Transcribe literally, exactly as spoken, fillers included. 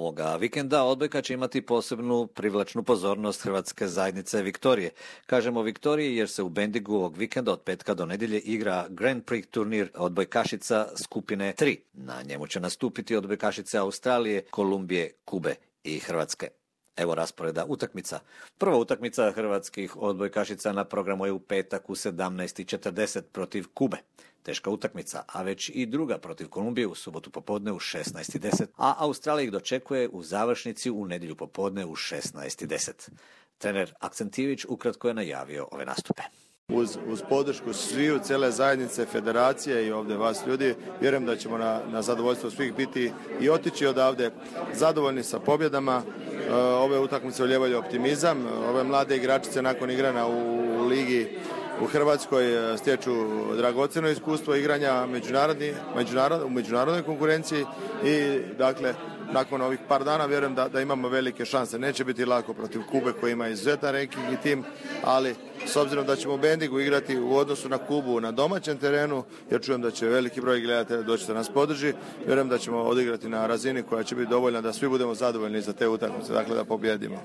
Ovoga vikenda odbojka će imati posebnu privlačnu pozornost hrvatske zajednice Viktorije. Kažemo Viktoriji jer se u Bendigu ovog vikenda od petka do nedjelje igra Grand Prix turnir odbojkašica skupine tri. Na njemu će nastupiti odbojkašice Australije, Kolumbije, Kube i Hrvatske. Evo rasporeda utakmica. Prva utakmica hrvatskih odbojkašica na programu je u petak u sedamnaest i četrdeset protiv Kube. Teška utakmica, a već i druga protiv Kolumbije u subotu popodne u šesnaest i deset, a Australija ih dočekuje u završnici u nedjelju popodne u šesnaest i deset. Trener Akcentijević ukratko je najavio ove nastupe. Uz, uz podršku sviju, cijele zajednice, federacije i ovdje vas ljudi, vjerujem da ćemo na, na zadovoljstvo svih biti i otići odavde zadovoljni sa pobjedama. E, ove utakmice ulijevaju optimizam. Ove mlade igračice nakon igrana u, u ligi u Hrvatskoj stječu dragocjeno iskustvo igranja međunarodni, međunarod, u međunarodnoj konkurenciji i dakle nakon ovih par dana vjerujem da, da imamo velike šanse. Neće biti lako protiv Kube koji ima izuzetan ranking i tim, ali s obzirom da ćemo u Bendigu igrati u odnosu na Kubu na domaćem terenu, jer čujem da će veliki broj gledatelja doći da nas podrži, vjerujem da ćemo odigrati na razini koja će biti dovoljna da svi budemo zadovoljni za te utakmice, dakle da pobjedimo.